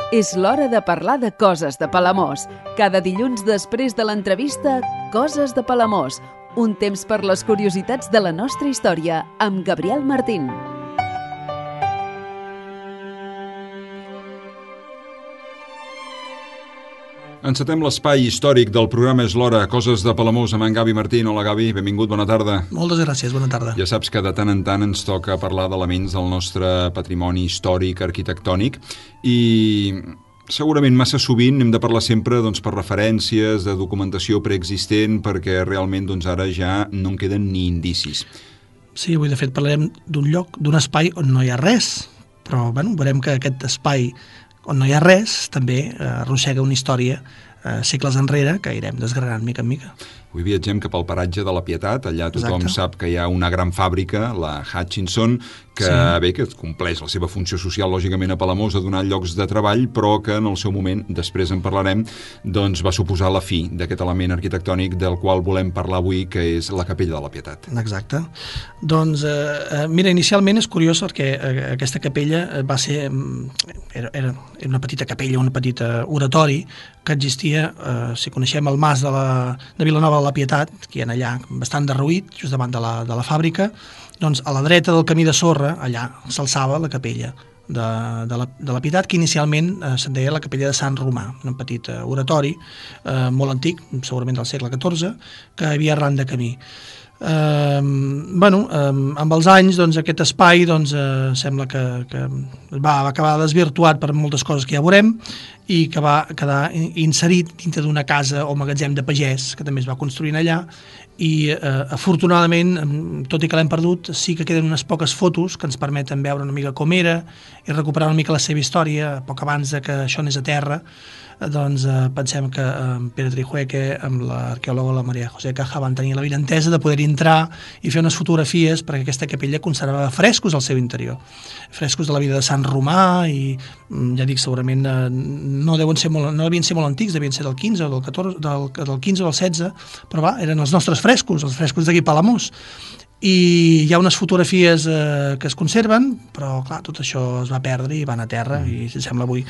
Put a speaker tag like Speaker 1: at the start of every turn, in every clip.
Speaker 1: És l'hora de parlar de coses de Palamós. Cada dilluns després de l'entrevista, Coses de Palamós. Un temps per les curiositats de la nostra història, amb Gabriel Martín.
Speaker 2: Encetem l'espai històric del programa És l'hora, Coses de Palamós, amb en Gavi Martín. Hola, Gavi, benvingut, bona tarda.
Speaker 3: Moltes gràcies, bona tarda.
Speaker 2: Ja saps que de tant en tant ens toca parlar d'elements del nostre patrimoni històric, arquitectònic, i segurament massa sovint hem de parlar sempre per referències de documentació preexistent, perquè realment ara ja no en queden ni indicis.
Speaker 3: Sí, avui de fet parlarem d'un lloc, d'un espai on no hi ha res, però veurem que aquest espai on no hi ha res també arrossega una història segles enrere que irem desgranant mica en mica.
Speaker 2: Avui viatgem cap al paratge de la Pietat. Allà tothom sap que hi ha una gran fàbrica, la Hutchinson, que que compleix la seva funció social, lògicament, a Palamós, de donar llocs de treball, però que en el seu moment, després en parlarem, va suposar la fi d'aquest element arquitectònic del qual volem parlar avui, que és la Capella de la Pietat.
Speaker 3: Exacte. Doncs, mira, inicialment és curiós perquè aquesta capella va ser... Era una petita capella, un petit oratori que existia, si coneixem el mas de Vilanova de la Pietat, que hi ha allà bastant derruït, just davant de la fàbrica, doncs a la dreta del camí de sorra, allà s'alçava la capella de la Pietat, que inicialment se'n deia la capella de Sant Romà, un petit oratori molt antic, segurament del segle XIV, que hi havia arran de camí. Amb els anys aquest espai sembla que va acabar desvirtuat per moltes coses que ja veurem i que va quedar inserit dintre d'una casa o magatzem de pagès que també es va construint allà i afortunadament, tot i que l'hem perdut, sí que queden unes poques fotos que ens permeten veure una mica com era i recuperar una mica la seva història. Poc abans de que això anés a terra, pensem que Pere Trijueque amb l'arqueòloga la Maria José Caja van tenir la brilantesa de poder entrar i fer unes fotografies perquè aquesta capella conservava frescos al seu interior, frescos de la vida de Sant Romà i ja dic, segurament no devien ser molt antics, devien ser del 15 o del 14, del 15 o del 16, però eren els nostres frescos, els frescos d'aquí Palamós. I hi ha unes fotografies que es conserven, però clar, tot això es va perdre i van a terra i si sembla avui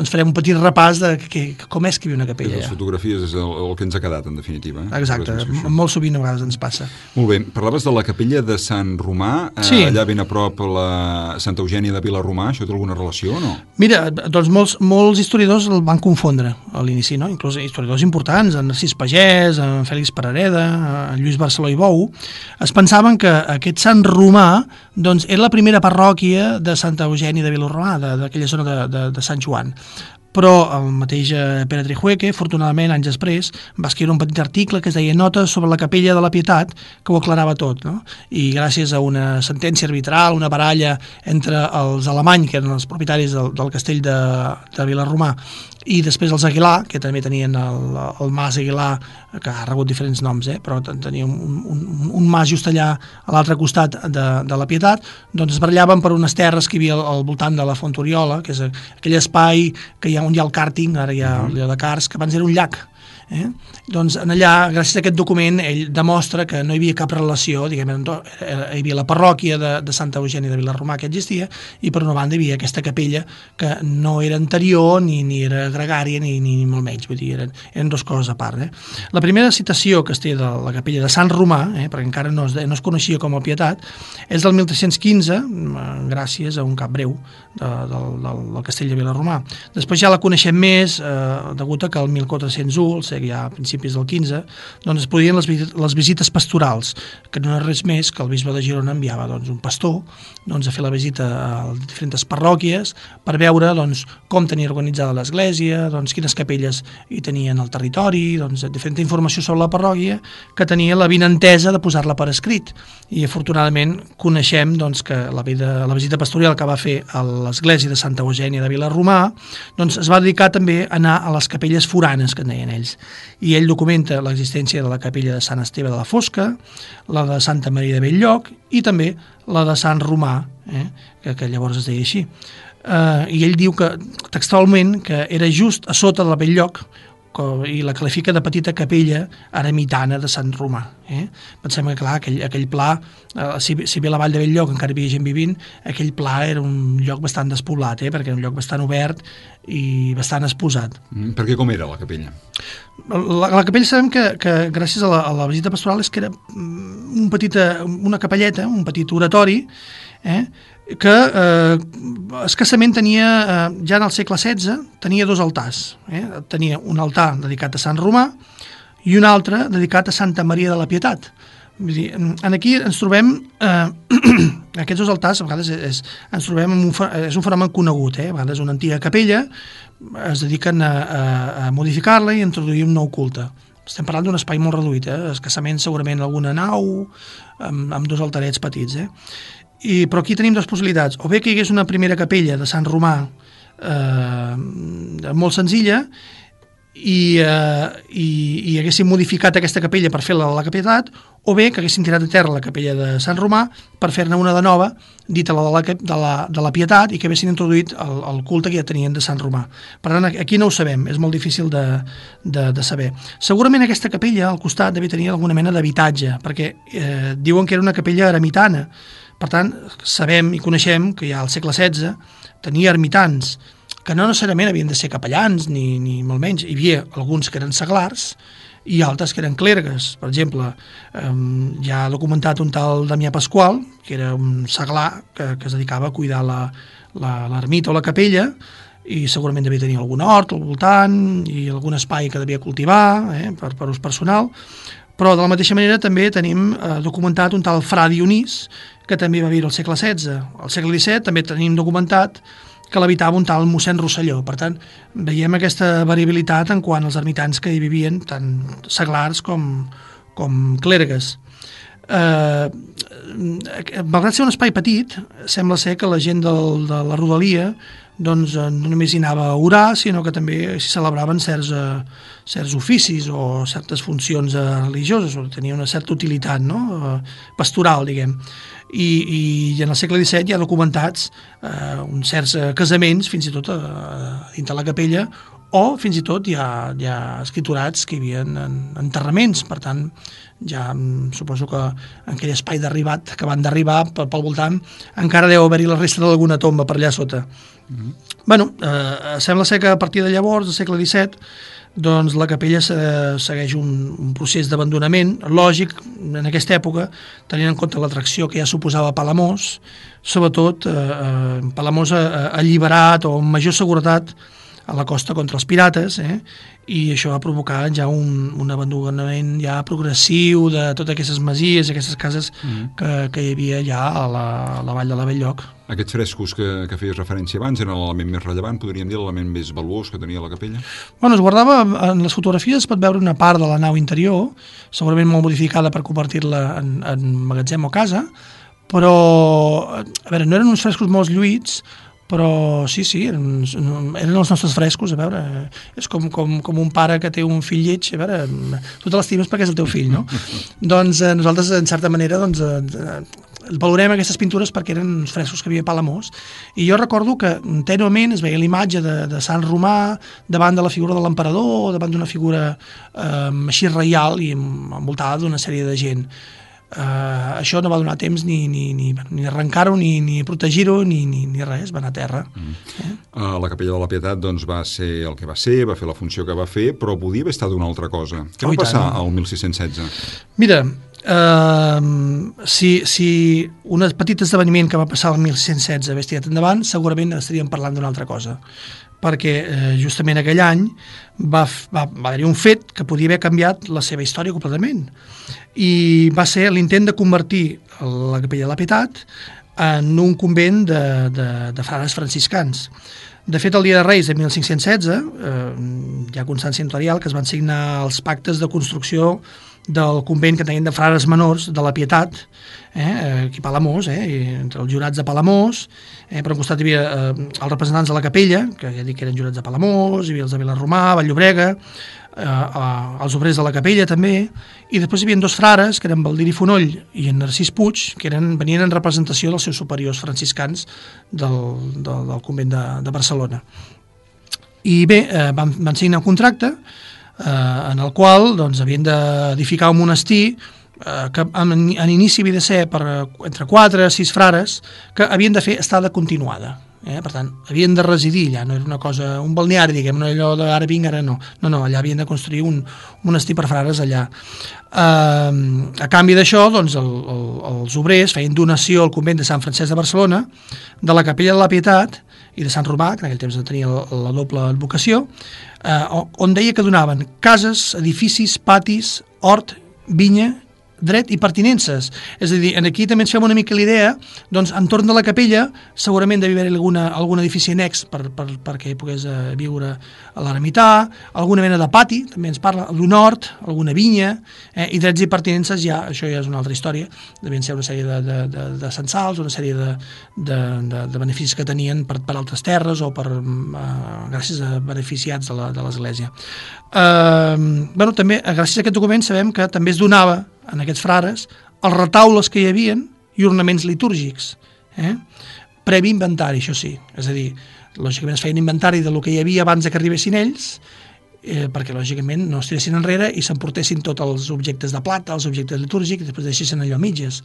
Speaker 3: farem un petit repàs de com és que hi havia una capella.
Speaker 2: Les fotografies és el que ens ha quedat en definitiva.
Speaker 3: Exacte, molt sovint a vegades ens passa.
Speaker 2: Molt bé, parlaves de la capella de Sant Romà, allà ben a prop la Santa Eugènia de Vilarromà, això té alguna relació o no?
Speaker 3: Mira, doncs molts historiadors el van confondre a l'inici, no? Inclús historiadors importants, en Narcís Pagès, en Fèlix Perareda, en Lluís Barceló i Bou, es pensaven que aquest Sant Romà era la primera parròquia de Santa Eugènia de Vilarromà, d'aquella zona de Sant Joan. Però el mateix Pere Trijueque, afortunadament, anys després, va escriure un petit article que es deia Notes sobre la Capella de la Pietat, que ho aclarava tot, no? I gràcies a una sentència arbitral, una baralla entre els Alemany, que eren els propietaris del castell de Vilarromà, i després els Aguilar, que també tenien el mas Aguilar, que ha rebut diferents noms, però tenia un mas just allà a l'altre costat de la Pietat, es barallaven per unes terres que hi havia al voltant de la Font Oriola, que és aquell espai que hi ha on hi ha el càrting, ara hi ha el de cars, que abans era un llac. Doncs allà, gràcies a aquest document, ell demostra que no hi havia cap relació, diguem, hi havia la parròquia de Santa Eugènia de Vilarromà que existia, i per una banda hi havia aquesta capella que no era anterior ni era gregària ni molt menys, vull dir, eren dues coses a part. La primera citació que es té de la capella de Sant Romà, perquè encara no es coneixia com a Pietat, és del 1315, gràcies a un cap breu del castell de Vilarromà. Després ja la coneixem més, degut a que el 1401, ja a principis del 15, es podien les visites pastorals, que no és res més que el bisbe de Girona enviava un pastor a fer la visita a diferents parròquies per veure com tenia organitzada l'església, quines capelles hi tenien al territori, diferent informació sobre la parròquia que tenia la vinentesa de posar-la per escrit. I afortunadament coneixem que la visita pastoral que va fer a l'església de Santa Eugènia de Vilarromà es va dedicar també a anar a les capelles foranes, que en deien ells. I ell documenta l'existència de la capella de Sant Esteve de la Fosca, la de Santa Maria de Belllloc i també la de Sant Romà, que llavors es deia així. I ell diu que textualment que era just a sota de la Belllloc i la qualifica de petita capella ermitana de Sant Romà. Pensem que, clar, aquell pla, si bé a la Vall de Belllloc encara hi havia gent vivint, aquell pla era un lloc bastant despoblat, perquè era un lloc bastant obert i bastant exposat.
Speaker 2: Per què com era la capella?
Speaker 3: La capella sabem que gràcies a la visita pastoral és que era una capelleta, un petit oratori, que escassament tenia, ja en el segle XVI, tenia 2 altars. Tenia un altar dedicat a Sant Romà i un altre dedicat a Santa Maria de la Pietat. Vull dir, aquí ens trobem aquests 2 altars, a vegades ens trobem és un fenomen conegut, a vegades una antiga capella es dediquen a modificar-la i introduir un nou culte. Estem parlant d'un espai molt reduït, escassament segurament alguna nau amb 2 altarets petits, però aquí tenim 2 possibilitats, o bé que hi hagués una primera capella de Sant Romà molt senzilla i haguessin modificat aquesta capella per fer-la a la Pietat, o bé que haguessin tirat a terra la capella de Sant Romà per fer-ne una de nova, dita la de la Pietat, i que haguessin introduït el culte que ja tenien de Sant Romà. Per tant, aquí no ho sabem, és molt difícil de saber. Segurament aquesta capella al costat devia tenir alguna mena d'habitatge, perquè diuen que era una capella ermitana. Per tant, sabem i coneixem que ja al segle XVI tenia ermitans, que no necessàriament havien de ser capellans, ni molt menys. Hi havia alguns que eren seglars i altres que eren clergues. Per exemple, ja ha documentat un tal Damià Pasqual, que era un seglar que es dedicava a cuidar l'ermita o la capella, i segurament devia tenir algun hort al voltant i algun espai que devia cultivar per ús personal. Però de la mateixa manera també tenim documentat un tal Fra Dionís, que també va viure al segle XVI. Al segle XVII també tenim documentat que l'habitava un tal mossèn Rosselló. Per tant, veiem aquesta variabilitat en quant als ermitans que hi vivien, tant seglars com clergues. Malgrat ser un espai petit, sembla ser que la gent de la rodalia doncs, no només hi anava a orar, sinó que també s'hi celebraven certs oficis o certes funcions religioses, o tenia una certa utilitat pastoral, diguem. I en el segle XVII hi ha documentats uns certs casaments, fins i tot dins de la capella, o fins i tot hi ha escriturats que hi havia enterraments. Per tant, ja suposo que en aquell espai d'arribat que van d'arribar pel voltant encara deu haver-hi la resta d'alguna tomba per allà sota. Sembla ser que a partir de llavors, del segle XVII, doncs la capella segueix un procés d'abandonament lògic en aquesta època, tenint en compte l'atracció que ja suposava Palamós, sobretot Palamós alliberat o amb major seguretat a la costa contra els pirates, i això va provocar ja un abandonament ja progressiu de totes aquestes masies, aquestes cases que hi havia ja a la Vall de la Belllloc.
Speaker 2: Aquests frescos que feies referència abans eren l'element més rellevant, podríem dir l'element més valuós que tenia la capella?
Speaker 3: Es guardava, en les fotografies es pot veure una part de la nau interior, segurament molt modificada per convertir-la en magatzem o casa, però a veure, no eren uns frescos molt lluïts, però sí, eren els nostres frescos, a veure, és com un pare que té un fill lleig, a veure, tu te l'estimes perquè és el teu fill, no? Doncs nosaltres, en certa manera, valorem aquestes pintures perquè eren uns frescos que havia a Palamós, i jo recordo que tènuement es veia l'imatge de Sant Romà davant de la figura de l'emperador, davant d'una figura així reial i envoltada d'una sèrie de gent. Això no va donar temps ni arrencar-ho, ni protegir-ho, ni res, va anar a terra.
Speaker 2: La capella de la Pietat doncs, va ser el que va ser, va fer la funció que va fer, però podia haver estat una altra cosa. Què va passar al 1616?
Speaker 3: Mira, si un petit esdeveniment que va passar al 1616 hagués tirat endavant, segurament estaríem parlant d'una altra cosa, perquè justament aquell any va haver-hi un fet que podia haver canviat la seva història completament, i va ser l'intent de convertir la capella de la Pietat en un convent de frares franciscans. De fet, el dia de Reis de 1516 hi ha constància notarial que es van signar els pactes de construcció del convent que tenien de frares menors de la Pietat, aquí a Palamós, entre els jurats de Palamós, per un costat hi havia els representants de la capella, que ja dic que eren jurats de Palamós, hi havia els de Vilarromà, Vall-llobrega, els obrers de la capella també, i després hi havia 2 frares, que eren Baldiri Fonoll i en Narcís Puig, que venien en representació dels seus superiors franciscans del convent de Barcelona. I bé, van signar un contracte en el qual doncs, havien d'edificar un monestir que en inici havia de ser entre 4 i 6 frares que havien de fer estada continuada. Per tant, havien de residir allà, no era una cosa, un balneari, diguem, no allò d'ara vinc, ara no. No, allà havien de construir un monestir per frares allà. A canvi d'això, doncs, els obrers feien donació al convent de Sant Francesc de Barcelona, de la Capella de la Pietat i de Sant Romà, que en aquell temps tenia la doble advocació, on deia que donaven cases, edificis, patis, hort, vinya, dret i pertinences. És a dir, aquí també ens fem una mica l'idea, doncs, entorn de la capella segurament devia haver algun edifici annex perquè hi pogués viure a l'ermità, alguna mena de pati, també ens parla d'un hort, alguna vinya, i drets i pertinences, això ja és una altra història, devien ser una sèrie de censals, una sèrie de beneficis que tenien per altres terres o gràcies a beneficiats de l'Església. També, gràcies a aquest document, sabem que també es donava en aquests frares els retaules que hi havien i ornaments litúrgics, previ inventari, això sí, és a dir, lògicament es feia un inventari del que hi havia abans que arribessin ells, perquè lògicament no es tiressin enrere i s'emportessin tots els objectes de plata, els objectes litúrgics, i després deixessin allò a mitges.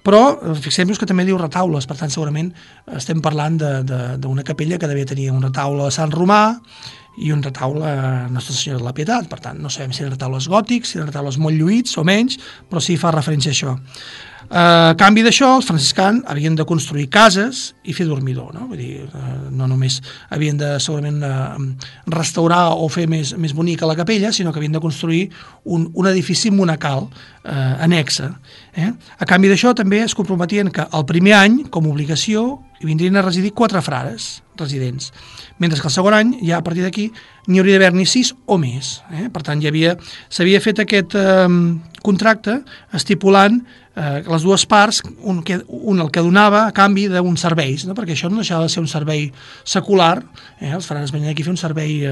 Speaker 3: Però fixem-nos que també diu retaules, per tant segurament estem parlant d'una capella que devia tenir un retaule a Sant Romà i un retaule a Nostra Senyora de la Pietat. Per tant, no sabem si eren retaules gòtics, si eren retaules molt lluïts o menys, però sí fa referència a això. A canvi d'això, els franciscans havien de construir cases i fer dormidor, no? Vull dir, no només havien de segurament restaurar o fer més bonica la capella, sinó que havien de construir un edifici monacal annexa. A canvi d'això també es comprometien que el primer any, com a obligació, hi vindrien a residir 4 frares residents, mentre que el segon any, ja a partir d'aquí, n'hi hauria d'haver-n'hi 6 o més. Per tant, s'havia fet aquest contracte estipulant les dues parts, un el que donava a canvi d'uns serveis, no? Perquè això no deixava de ser un servei secular, els frares venien aquí a fer un servei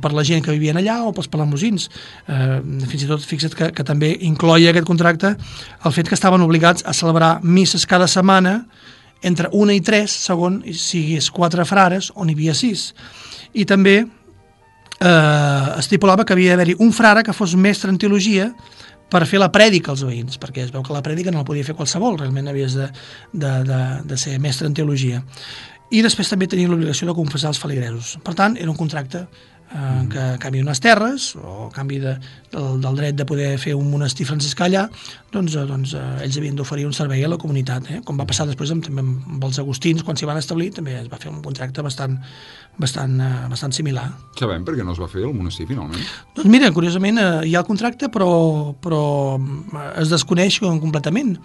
Speaker 3: per la gent que vivien allà o pels palamosins. Fins i tot, fixa't que també incloïa aquest contracte el fet que estaven obligats a celebrar misses cada setmana entre 1 i 3, segons si hi hagués 4 frares on hi havia 6. I també estipulava que havia d'haver-hi un frare que fos mestre en teologia per fer la prèdica als veïns, perquè es veu que la prèdica no la podia fer qualsevol, realment havies de ser mestre en teologia. I després també tenia l'obligació de confessar els feligresos. Per tant, era un contracte que a canvi d'unes terres o a canvi del dret de poder fer un monestir franciscà allà, doncs ells havien d'oferir un servei a la comunitat, com va passar després també amb els agustins, quan s'hi van establir, també es va fer un contracte bastant similar.
Speaker 2: Sabem per què no es va fer el monestir finalment?
Speaker 3: Doncs mira, curiosament hi ha el contracte però es desconeix completament.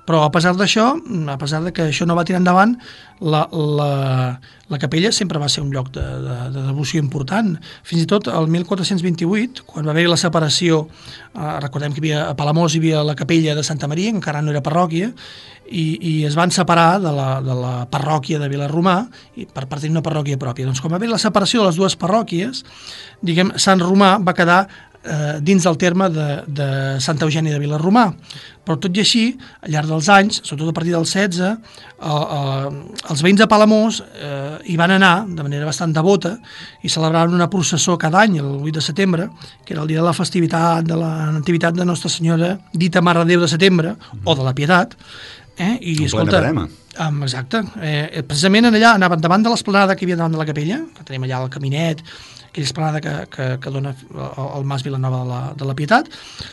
Speaker 3: Però a pesar d'això, a pesar de que això no va tirar endavant, la capella sempre va ser un lloc de devoció important. Fins i tot el 1428, quan va haver la separació, recordem que a Palamós hi havia la capella de Santa Maria, que encara no era parròquia, i es van separar de la parròquia de Vilarromà per tenir una parròquia pròpia. Doncs quan va haver la separació de les dues parròquies, diguem, Sant Romà va quedar dins del terme de Santa Eugènia de Vilarromà. Però tot i així, al llarg dels anys, sobretot a partir del 16, els veïns de Palamós hi van anar de manera bastant devota i celebraven una processó cada any, el 8 de setembre, que era el dia de la festivitat de la Nativitat de Nostra Senyora, dita Mare de Déu de Setembre, o de la Pietat.
Speaker 2: I, escolta, plena verema.
Speaker 3: Exacte. Precisament allà anaven davant de l'esplanada que hi havia davant de la capella, que tenim allà el caminet, aquella esplanada que dona al Mas Vilanova de la Pietat.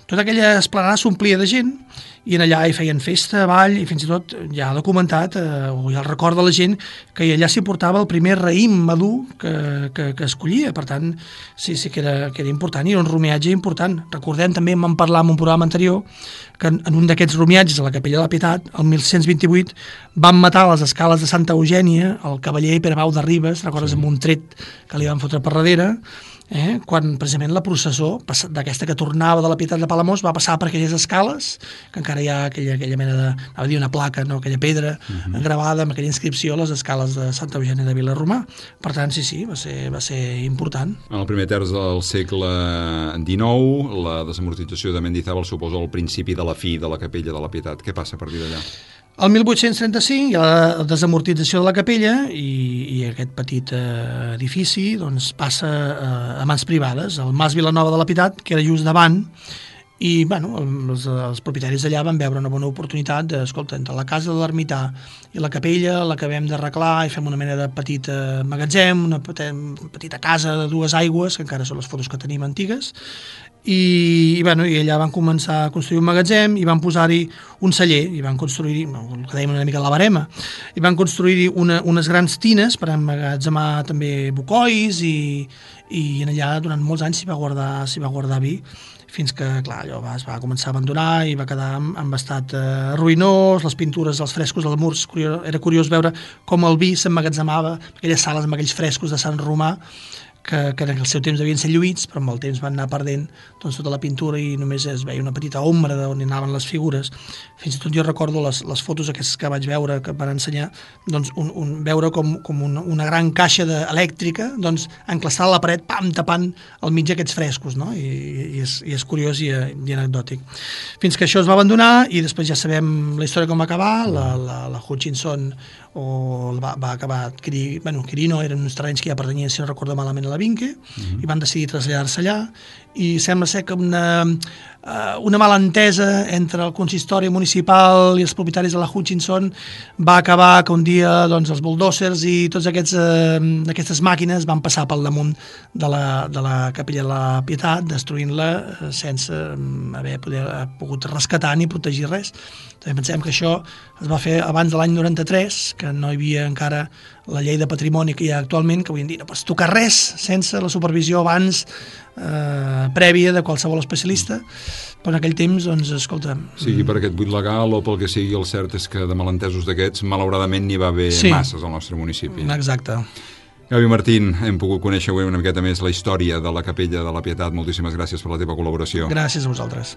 Speaker 3: Tota aquella esplanada s'omplia de gent i allà hi feien festa, ball, i fins i tot ja ha documentat, o ja el record de la gent, que allà s'hi portava el primer raïm madur que es collia. Per tant, sí que era important, i era un rumiatge important. Recordem també, vam parlar en un programa anterior, que en un d'aquests rumiatges a la Capella de la Pietat, el 1628, van matar a les escales de Santa Eugènia el cavaller Pere Bau de Ribes, recordes, amb un tret que li van fotre per darrere, quan precisament la processó d'aquesta que tornava de la Pietat de Palamós va passar per aquelles escales, que encara hi ha aquella mena de, anava a dir una placa, no? Aquella pedra gravada amb aquella inscripció a les escales de Santa Eugènia de Vilarromà. Per tant, sí, va ser important.
Speaker 2: En el primer terç del segle XIX, la desamortització de Mendizábal suposa el principi de la fi de la Capella de la Pietat. Què passa a partir d'allà?
Speaker 3: El 1835 hi ha la desamortització de la capella i aquest petit edifici doncs, passa a mans privades. El Mas Vilanova de la Pietat, que era just davant, i bueno, els propietaris d'allà van veure una bona oportunitat de, escolta, entre la casa de l'ermità i la capella l'acabem d'arreglar i fem una mena de petit magatzem, una petita casa de 2 aigües, que encara són les fotos que tenim antigues, i allà van començar a construir un magatzem i van posar-hi un celler, i van construir-hi, el que dèiem una mica la barema, i van construir-hi unes grans tines per emmagatzemar també bucois, i allà durant molts anys s'hi va guardar vi, fins que, clar, allò es va començar a abandonar i va quedar en estat ruïnós, les pintures, els frescos als murs, era curiós veure com el vi s'emmagatzemava, aquelles sales amb aquells frescos de Sant Romà, que en el seu temps devien ser lluïts, però amb el temps van anar perdent doncs, tota la pintura i només es veia una petita ombra d'on anaven les figures. Fins i tot jo recordo les fotos aquestes que vaig veure, que van ensenyar, doncs, veure com una gran caixa elèctrica doncs, enclastada a la paret, tapant al mig aquests frescos, no? I és curiós i anecdòtic. Fins que això es va abandonar i després ja sabem la història com va acabar, la Hutchinson va acabar Quirino, eren uns terrenys que ja pertanyien, si no recordo malament, a la Vinque, i van decidir traslladar-se allà, i sembla ser que una malentesa entre el consistori municipal i els propietaris de la Hutchinson va acabar que un dia doncs, els bulldozers i totes aquestes màquines van passar pel damunt de la capella de la Pietat, destruint-la sense haver pogut rescatar ni protegir res. També pensem que això es va fer abans de l'any 93, que no hi havia encara la llei de patrimoni que hi ha actualment, que avui en dia no pots tocar res sense la supervisió abans prèvia de qualsevol especialista, però en aquell temps, doncs, escolta...
Speaker 2: Sigui per aquest buit legal o pel que sigui, el cert és que de malentesos d'aquests, malauradament n'hi va haver masses al nostre municipi.
Speaker 3: Exacte.
Speaker 2: Gavi Martín, hem pogut conèixer avui una miqueta més la història de la Capella de la Pietat. Moltíssimes gràcies per la teva col·laboració.
Speaker 3: Gràcies a vosaltres.